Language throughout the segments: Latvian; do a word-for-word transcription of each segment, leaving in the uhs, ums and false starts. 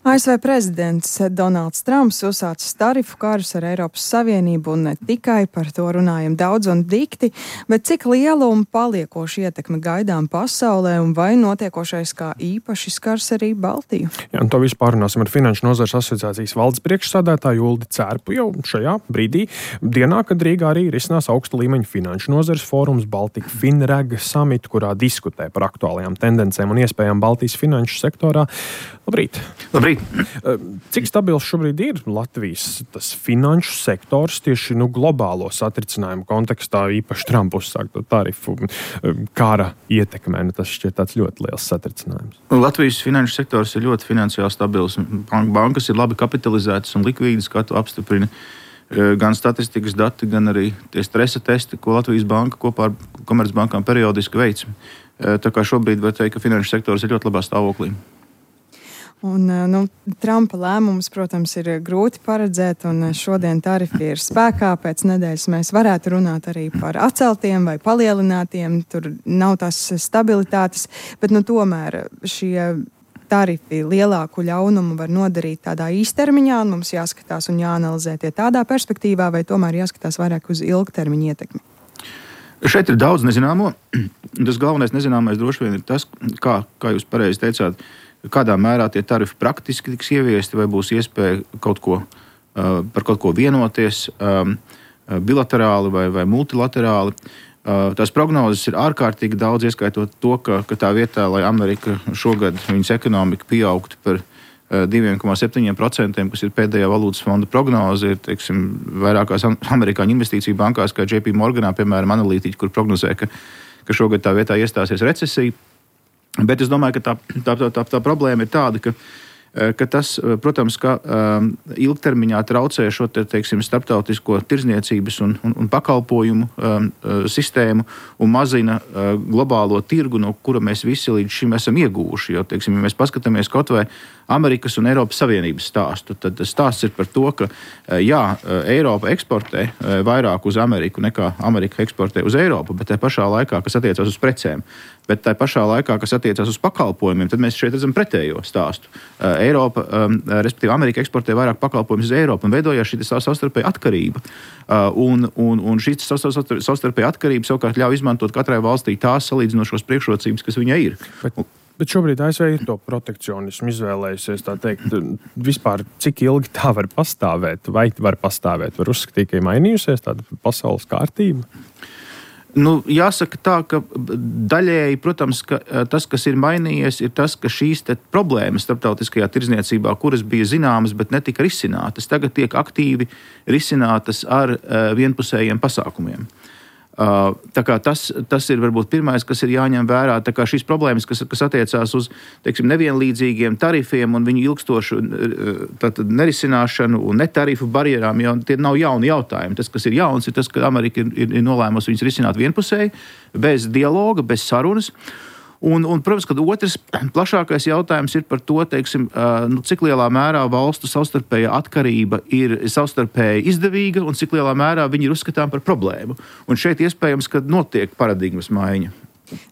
A S V prezidents Donalds Trumps uzsācis tarifu karus ar Eiropas Savienību, un ne tikai par to runājam daudz un dikti, bet cik liela un paliekoša ietekme gaidām pasaulē, un vai notiekošais kā īpaši skars arī Baltiju? Jā, un to visu pārunāsim ar Finanšu nozares asociācijas valdes priekšsādātāju Uldi Cērpu jau šajā brīdī, dienā, kad Rīgā arī risinās augsta līmeņa finanšu nozares fórums Baltika Finreg Summit, kurā diskutē par aktuālajām tendencēm un iespējām Baltijas finanšu sektorā. Labrīt! Labrīt! Cik stabils šobrīd ir Latvijas tas finanšu sektors tieši nu, globālo satricinājumu kontekstā, īpaši Trumpa uzsākto tarifu kara ietekmē? Nu, tas šķiet tāds ļoti liels satricinājums. Latvijas finanšu sektors ir ļoti finansiāli stabils. Bankas ir labi kapitalizētas un likvīdas, kā to apstiprina gan statistikas dati, gan arī tie stresa testi, ko Latvijas banka kopā ar komercbankām periodiski veic. Tā kā šobrīd var teikt, ka finanšu sektors ir ļoti labā stāvoklī. Un, nu, Trumpa lēmums, protams, ir grūti paredzēt, un šodien tarifi ir spēkā. Pēc nedēļas mēs varētu runāt arī par atceltiem vai palielinātiem. Tur nav tās stabilitātes, bet nu, tomēr šie tarifi lielāku ļaunumu var nodarīt tādā īstermiņā, un mums jāskatās un jāanalizē tie tādā perspektīvā, vai tomēr jāskatās vairāk uz ilgtermiņa ietekmi. Šeit ir daudz nezināmo. Tas galvenais nezināmais droši vien ir tas, kā, kā jūs pareizi teicāt, kādā mērā tie tarifi praktiski tiks ieviesti, vai būs iespēja kaut ko, uh, par kaut ko vienoties um, bilaterāli vai, vai multilaterāli. Uh, tās prognozes ir ārkārtīgi daudz, ieskaitot to, ka, ka tā vietā, lai Amerika šogad viņas ekonomika pieaugtu par uh, divi komats septiņi procenti, kas ir pēdējā valūtas fonda prognoze, ir teiksim, vairākās amerikāņu investīciju bankās, kā J P Morganā, piemēram, analītiķi, kur prognozē, ka, ka šogad tā vietā iestāsies recesija. Bet es domāju, ka tā, tā, tā, tā, tā problēma ir tāda, ka, ka tas, protams, ka um, ilgtermiņā traucē šo te, teiksim, starptautisko tirdzniecības un, un, un pakalpojumu um, sistēmu un mazina uh, globālo tirgu, no kura mēs visi līdz šim esam ieguvuši. Jo, teiksim, ja mēs paskatāmies kaut vai Amerikas un Eiropas Savienības stāstu, tad stāsts ir par to, ka jā, Eiropa eksportē vairāk uz Ameriku nekā Amerika eksportē uz Eiropu, bet tā pašā laikā, kas attiecās uz precēm, bet tā pašā laikā, kas attiecās uz pakalpojumiem, tad mēs šeit redzam pretējo stāstu. Eiropa, respektīvi Amerika eksportē vairāk pakalpojumus uz Eiropu un veidojās šī savstarpēja atkarība. Un, un, un šī savstarpēja atkarība savukārt ļauj izmantot katrai valstī tās salīdzinošos priekšrocības, kas viņai ir. Bet... Bet šobrīd A S V ir to protekcionismu izvēlējusies, tā teikt, vispār cik ilgi tā var pastāvēt, vai var pastāvēt, var uzskatīt, ka ir mainījusies tāda pasaules kārtība? Nu, jāsaka tā, ka daļēji, protams, ka tas, kas ir mainījies, ir tas, ka šīs te problēmas starptautiskajā tirdzniecībā, kuras bija zināmas, bet netika risinātas, tagad tiek aktīvi risinātas ar vienpusējiem pasākumiem. Uh, tā kā tas, tas ir varbūt pirmais, kas ir jāņem vērā. Tā kā šīs problēmas, kas, kas attiecās uz teiksim, nevienlīdzīgiem tarifiem un viņu ilgstošu tātad, nerisināšanu un netarifu barjerām, jau tie nav jauni jautājumi. Tas, kas ir jauns, ir tas, ka Amerika ir, ir, ir nolēmusi viņus risināt vienpusēji, bez dialoga, bez sarunas. Un, un, protams, ka otrs plašākais jautājums ir par to, teiksim, nu, cik lielā mērā valstu savstarpēja atkarība ir savstarpēji izdevīga un cik lielā mērā viņi ir uzskatām par problēmu. Un šeit iespējams, ka notiek paradigmas maiņa.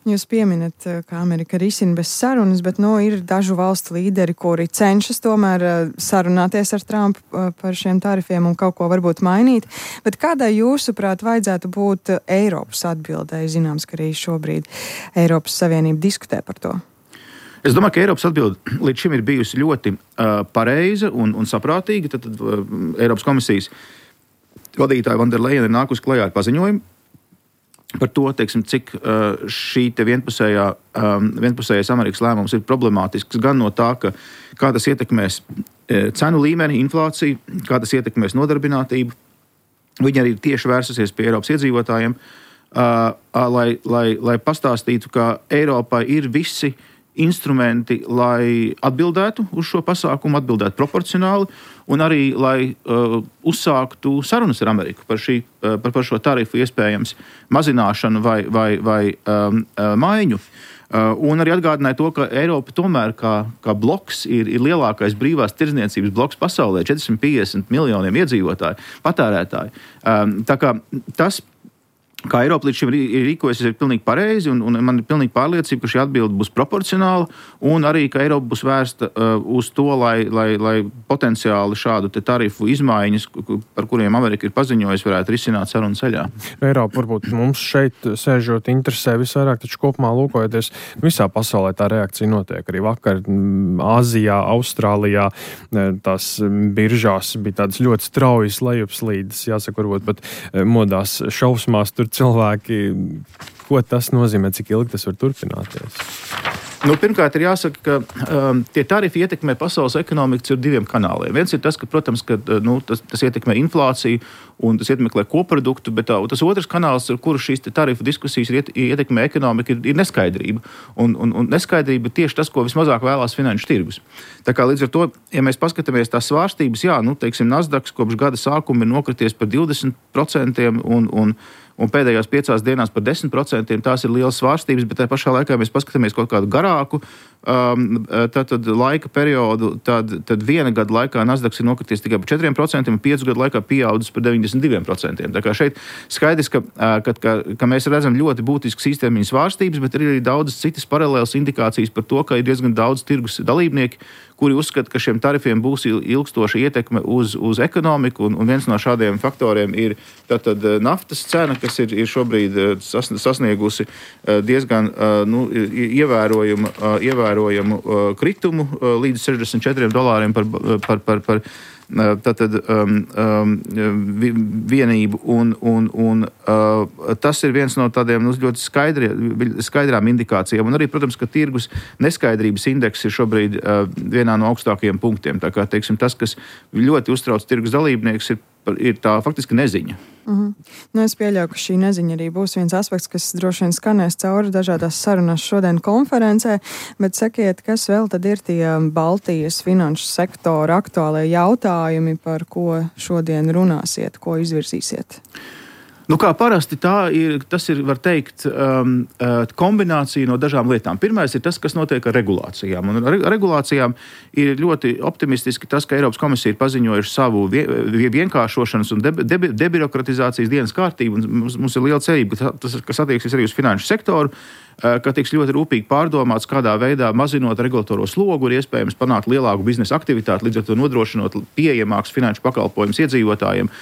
Jūs pieminat, ka Amerika risina bez sarunas, bet nu, ir dažu valstu līderi, kuri cenšas tomēr sarunāties ar Trumpu par šiem tarifiem un kaut ko varbūt mainīt. Bet kādai jūsuprāt vajadzētu būt Eiropas atbildēji? Zināms, ka arī šobrīd Eiropas Savienība diskutē par to. Es domāju, ka Eiropas atbilde līdz šim ir bijusi ļoti uh, pareiza un, un saprātīga. Tad, tad uh, Eiropas komisijas vadītāja Van der Leyen ir nākusi klajā ar paziņojumu par to, teiksim, cik uh, šī te vienpusējā, um, vienpusējais Amerikas lēmums ir problemātisks gan no tā, ka kā tas ietekmēs e, cenu līmeni, inflāciju, kā tas ietekmēs nodarbinātību. Viņi arī tieši vērsusies pie Eiropas iedzīvotājiem, uh, uh, lai, lai, lai pastāstītu, ka Eiropā ir visi instrumenti, lai atbildētu uz šo pasākumu, atbildētu proporcionāli un arī, lai uh, uzsāktu sarunas ar Ameriku par, šī, uh, par, par šo tarifu iespējams mazināšanu vai, vai, vai um, uh, maiņu. Uh, un arī atgādināja to, ka Eiropa tomēr kā, kā bloks ir, ir lielākais brīvās tirdzniecības bloks pasaulē, četri simti piecdesmit miljoniem iedzīvotāju, patērētāju. Um, tā kā tas kā Eiropa līdz šim ir rīkojusies, ir pilnīgi pareizi, un, un man ir pilnīgi pārliecība, ka šī atbilde būs proporcionāla, un arī, ka Eiropa būs vērsta uh, uz to, lai, lai, lai potenciāli šādu te tarifu izmaiņas, par kuriem Amerika ir paziņojusi, varētu risināt sarunu ceļā. Eiropa varbūt mums šeit sēžot interesē visvairāk, taču kopumā lūkojoties, visā pasaulē tā reakcija notiek. Arī vakar Āzijā, Austrālijā tās biržās bija tādas ļoti straujas lejupslīdes, jāsaka, varbūt pat modās šausmās tur cilvēki, ko tas nozīmē, cik ilgi tas var turpināties? Nu, pirmkārt, ir jāsaka, ka um, tie tarifi ietekmē pasaules ekonomiku ar diviem kanāliem. Viens ir tas, ka, protams, ka, nu, tas, tas ietekmē inflāciju un tas ietekmē koproduktu, bet tā, tas otrs kanāls, ar kuru šīs tarifu diskusijas iet, ietekmē ekonomiku, ir, ir neskaidrība. Un, un, un neskaidrība ir tieši tas, ko vismazāk vēlās finanšu tirgus. Tā kā līdz ar to, ja mēs paskatāmies tās svārstības, jā, nu, teiksim, Nasdaq kopš gada sākuma ir nokrities par divdesmit procentiem un, un un pēdējās piecās dienās par desmit procentiem. Tās ir lielas svārstības, bet tajā pašā laikā mēs paskatāmies kaut kādu garāku um, tad, tad laika periodu, tad, tad viena gada laikā Nasdaq ir nokrities tikai par četriem procentiem un piecu gadu laikā pieaudzis par deviņdesmit diviem procentiem. Tā kā šeit skaidrs, ka, ka, ka, ka mēs redzam ļoti būtiskas īstermiņa svārstības, bet ir arī daudzas citas paralēlas indikācijas par to, ka ir diezgan daudz tirgus dalībnieki, kuri uzskata, ka šiem tarifiem būs ilgstoša ietekme uz, uz ekonomiku, un, un viens no šādiem faktoriem ir tātad naftas cena, kas ir, ir šobrīd sasniegusi diezgan nu, ievērojumu, ievērojumu kritumu līdz sešdesmit četriem dolāriem par, par, par, par tātad um, um, vienību, un, un, un uh, tas ir viens no tādiem nu, ļoti skaidri, skaidrām indikācijām. Un arī, protams, ka tirgus neskaidrības indeks ir šobrīd uh, vienā no augstākajiem punktiem. Tā kā, teiksim, tas, kas ļoti uztrauc tirgus dalībnieks, ir, ir tā faktiski neziņa. Mm-hmm. Nu, es pieļauju, ka šī neziņa arī būs viens aspekts, kas droši vien skanēs cauri dažādās sarunās šodien konferencē, bet sakiet, kas vēl tad ir tie Baltijas finanšu sektora aktuālie jautājumi, par ko šodien runāsiet, ko izvirzīsiet? Nu, kā parasti tā ir, tas ir, var teikt, um, kombinācija no dažām lietām. Pirmais ir tas, kas notiek ar regulācijām. Un ar regulācijām ir ļoti optimistiski tas, ka Eiropas komisija ir paziņojuši savu vienkāršošanas un debirokratizācijas dienas kārtību. Un mums, mums ir liela cerība, ka tas, kas attieksies arī uz finanšu sektoru, ka tiks ļoti rūpīgi pārdomāts, kādā veidā mazinot regulatoro slogu ir iespējams panākt lielāku biznesa aktivitāti, līdz ar to nodrošinot pieejamākus finanšu pakalpojumus iedzīvotājiem.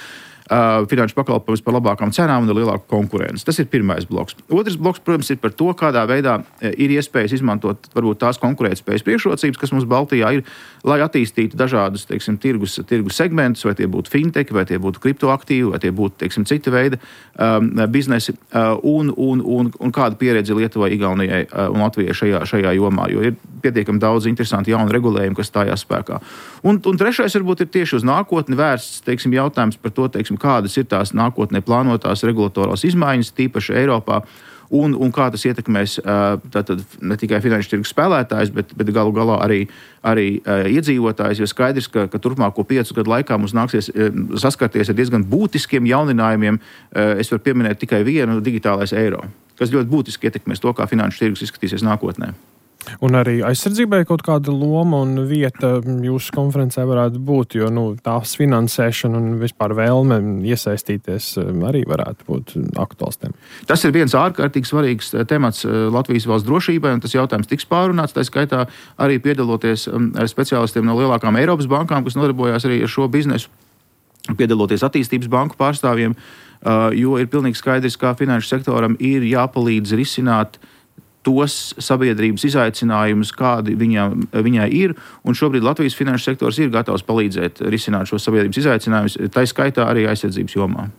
Uh, finanšu pakalpojumus par labākām cenām un ar lielāku konkurenci. Tas ir pirmais bloks. Otrs bloks, protams, ir par to, kādā veidā ir iespējas izmantot varbūt tās konkurētspējas priekšrocības, kas mums Baltijā ir, lai attīstītu dažādus, teiksim, tirgus, tirgus segmentus, vai tie būtu fintech, vai tie būtu kriptoaktīvi, vai tie būtu, teiksim, cita veida um, biznesi, uh, un, un, un, un kāda pieredze Lietuvai, Igaunijai uh, un Latvijai šajā, šajā jomā, jo ir pietiekami daudz interesanti jauni regulējumi, kas stājās spēkā. Un, un trešais varbūt ir tieši uz nākotni vērsts, teiksim, jautājums par to, teiksim, kādas ir tās nākotnē plānotās regulatorās izmaiņas, tīpaši Eiropā, un, un kā tas ietekmēs tātad ne tikai finanšu tirgus spēlētājs, bet, bet galu galā arī, arī iedzīvotājs, jo skaidrs, ka, ka turpmāko piecu gadu laikā mums nāksies saskarties ar diezgan būtiskiem jauninājumiem. Es varu pieminēt tikai vienu - digitālais eiro, kas ļoti būtiski ietekmēs to, kā finanšu tirgus izskatīsies nākotnē. Un arī aizsardzībai kaut kāda loma un vieta jūsu konferencē varētu būt, jo nu, tās finansēšana un vispār vēlme iesaistīties arī varētu būt aktuāls tēma. Tas ir viens ārkārtīgi svarīgs temats Latvijas valsts drošībai, un tas jautājums tiks pārunāts, tā skaitā arī piedaloties speciālistiem no lielākām Eiropas bankām, kas nodarbojās arī ar šo biznesu, piedaloties attīstības banku pārstāvjiem, jo ir pilnīgi skaidrs, kā finanšu sektoram ir jāpalīdz risināt tos sabiedrības izaicinājumus, kādi viņā, viņai ir, un šobrīd Latvijas finanšu sektors ir gatavs palīdzēt risināt šos sabiedrības izaicinājumus, tā skaitā arī aizsardzības jomā.